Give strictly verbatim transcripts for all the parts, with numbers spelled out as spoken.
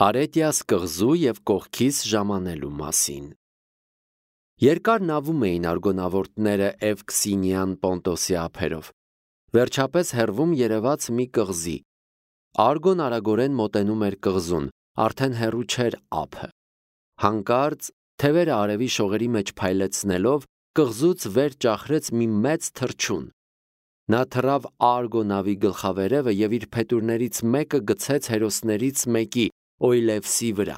Արետիաս կղզու և կողքից ժամանելու մասին։ Երկար նավում էին արգոնավորտները Էվքսինյան Պոնտոսի ափերով։ Վերջապես հեռվում երևաց մի կղզի։ Արգոն արագորեն մոտենում էր կղզուն, արդեն հեռու չէր ափը։ Հանկարծ թևերը արևի շողերի մեջ փայլեցնելով կղզուց վեր ճախրեց մի մեծ թռչուն։ Նա թռավ Արգո նավի գլխավերևը և իր փետուրներից մեկը գցեց հերոսներից մեկի՝ Օյլևսի վրա։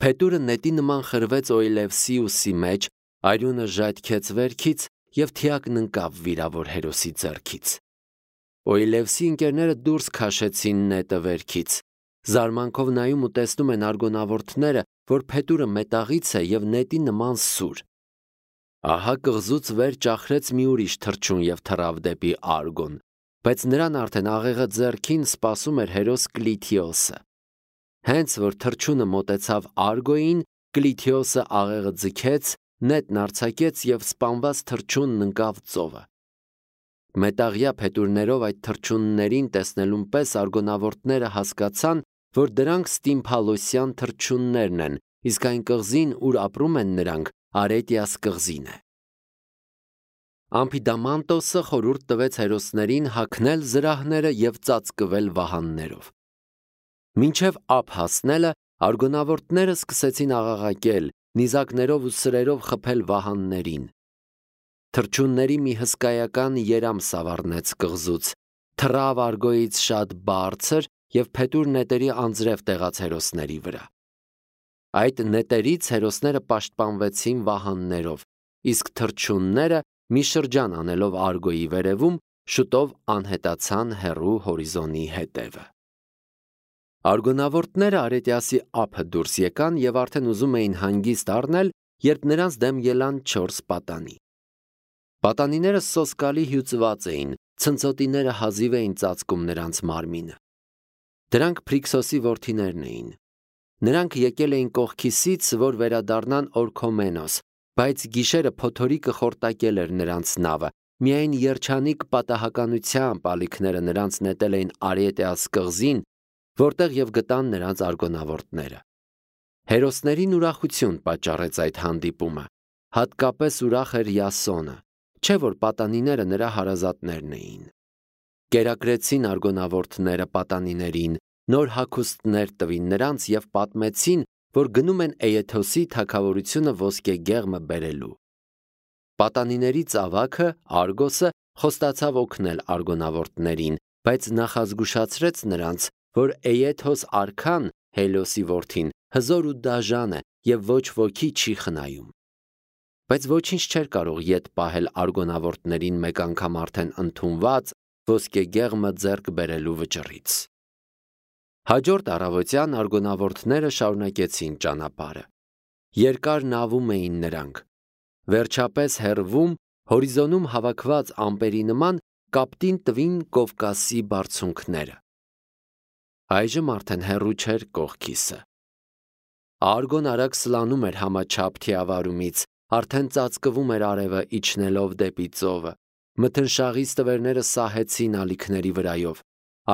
Փետուրը նետի նման խրվեց Օյլևսի ուսի մեջ, արյունը ժայթքեց վերքից և թիակն ընկավ վիրավոր հերոսի ձեռքից։ Օյլևսի ընկերները դուրս քաշեցին նետը վերքից։ Զարմանքով նայում ու տեսնում են արգոնավորտները, որ փետուրը մետաղից է և նետի նման սուր։ Ահա կղզուց վեր ճախրեց մի ուրիշ թռչուն և թռավ դեպի Արգոն, բայց նրան արդեն աղեղը ձեռքին սպասում էր հերոս Կլիթիոսը։ Հենց որ թռչունը մոտեցավ Արգոյին, Կլիթիոսը աղեղը ձգեց, նետն արձակեց և սպանված թռչունն ընկավ ծովը։ Մետաղյա փետուրներով այդ թռչուններին տեսնելուն պես արգոնավորտները հասկացան, որ դրանք Ստիմփալոսյան թռչուններն են, իսկ այն կղզին, ուր ապրում են նրանք, Արետիաս կղզին է։ Ամփիդամանտոսը խորհուրդ տվեց հերոսներին հագնել զրահները և ծածկվել վահաններով։ Մինչև ափ հասնելը արգոնավորտները սկսեցին աղաղակել, նիզակներով ու սրերով խփել վահաններին։ Թռչունների մի հսկայական երամ սավառնեց կղզուց, թռավ Արգոյից շատ բարձր և փետուր նետերի անձրև տեղաց հերոսների վրա։ Այդ նետերից հերոսները պաշտպանվեցին վահաններով, իսկ թռչունները, մի շրջան անելով Արգոյի վերևում, շուտով անհետացան հեռու հորիզոնի հետևը։ Արգոնավորտները Արետիասի ափը դուրս եկան և արդեն ուզում էին հանգիստ առնել, երբ նրանց դեմ ելան չորս պատանի։ Պատանիները սոսկալի հյուծված էին, ցնցոտիները հազիվ էին ծածկում նրանց մարմինը։ Դրանք Փրիքսոսի որդիներն էին։ Նրանք եկել էին կողքիսից, որ վերադառնան Օրքոմենոս, բայց գիշերը փոթորիկը խորտակել էր նրանց նավը, միայն երջանիկ պատահականությամբ ալիքները նրանց նետել էին Արետիաս կղզին, որտեղ և գտան նրանց արգոնավորտները։ Հերոսներին ուրախություն պատճառեց այդ հանդիպումը, հատկապես ուրախ էր Յասոնը, չէ՞ որ պատանիները նրա հարազատներն էին։ Կերակրեցին արգոնավորտները պատանիներին, նոր հագուստներ տվին նրանց և պատմեցին, որ գնում են Էեթոսի թագավորությունը ոսկեգեղմը բերելու։ Պատանիների ծավաքը Արգոսը խոստացավ օգնել արգոնավորտներին, բայց նախազգուշացրեց նրանց, որ Էեթոս արքան, Հելիոսի որդին, հզոր ու դաժան է և ոչ ոքի չի խնայում։ Բայց ոչինչ չէր կարող ետ պահել արգոնավորտներին մեկ անգամ արդեն ընդունված ոսկեգեղմը ձեռք բերելու վճռից։ Հաջորդ առավոտյան արգոնավորտները շարունակեցին ճանապարհը։ Երկար նավում էին նրանք։ Վերջապես հեռվում, հորիզոնում հավաքված ամպերի նման, կապտին տվին Կովկասի բարձունքները։ Այժմ արդեն հեռու չէր կողքիսը։ Արգոն արագ սլանում էր համաչափ թիավարումից, արդեն ծածկվում էր արևը իջնելով դեպի ծովը։ Մթնշաղի ստվերները սահեցին ալիքների վրայով։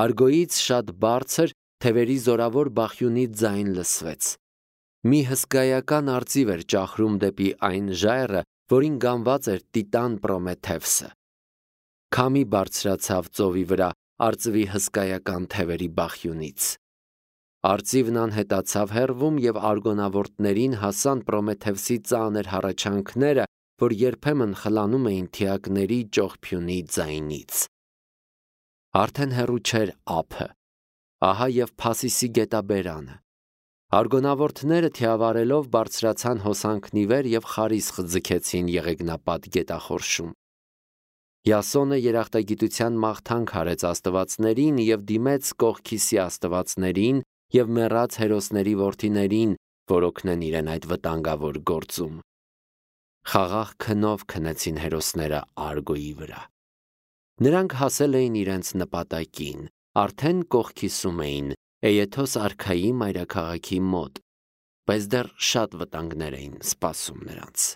Արգոյից շատ բարձր թևերի զորավոր բախյունի ձայն լսվեց։ Մի հսկայական արծիվ էր ճախրում դեպի այն ժայռը, որին գանված էր Տիտան Պրոմեթևսը։ Քամի բարձրացավ ծովի վրա արծվի հսկայական թևերի բախյունից։ Արծիվն անհետացավ հեռվում և արգոնավորտներին հասան Պրոմեթևսի ծանր հառաչանքները, որ երբեմն խլանում էին թիակների ճողփյունի ձայնից։ Արդեն հեռու չէր ափը, ահա և Փասիսի գետաբերանը։ Արգոնավորտները թիավարելով բարձրացան հոսանքն ի վեր և խարիսխ ձգեցին եղեգնապատ գետախորշում։ Յասոնը երախտագիտության մաղթանք արեց աստվածներին և դիմեց Կողքիսի աստվածներին և մեռած հերոսների որդիներին, որ օգնեն իրեն այդ վտանգավոր գործում։ Խաղաղ քնով քնեցին հերոսները Արգոյի վրա։ Նրանք հասել էին իրենց նպատակին, արդեն կողքիսում էին, Էեթոս արքայի մայրաքաղաքի մոտ, բայց դեռ շատ վտանգներ էին սպասում նրանց։